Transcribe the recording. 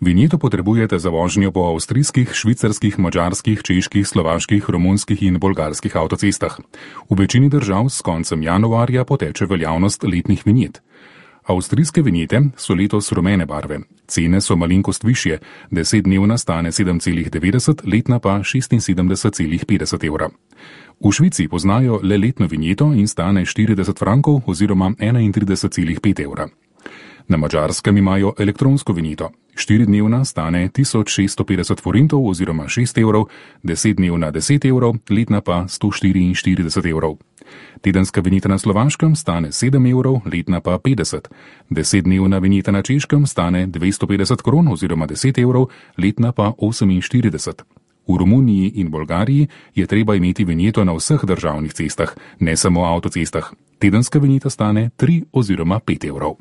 Vinjeto potrebujete za vožnjo po avstrijskih, švicarskih, madžarskih, čeških, slovaških, romunskih in bolgarskih avtocestah. V večini držav s koncem januarja poteče veljavnost letnih vinjet. Avstrijske vinjete so letos rumene barve. Cene so malenkost višje, 10-dnevna stane 7,90, letna pa 76,50 evra. V Švici poznajo le letno vinjeto in stane 40 frankov oziroma 31,5 evra. Na Madžarskem imajo elektronsko vinjeto. 4-dnevna stane 1650 forintov oziroma 6 evrov, 10-dnevna 10 evrov, letna pa 144 evrov. Tedenska vinjeta na Slovaškem stane 7 evrov, letna pa 50. 10-dnevna vinjeta na Češkem stane 250 kron oziroma 10 evrov, letna pa 48. V Romuniji in Bolgariji je treba imeti vinjeto na vseh državnih cestah, ne samo avtocestah. Tedenska vinjeta stane 3 oziroma 5 evrov.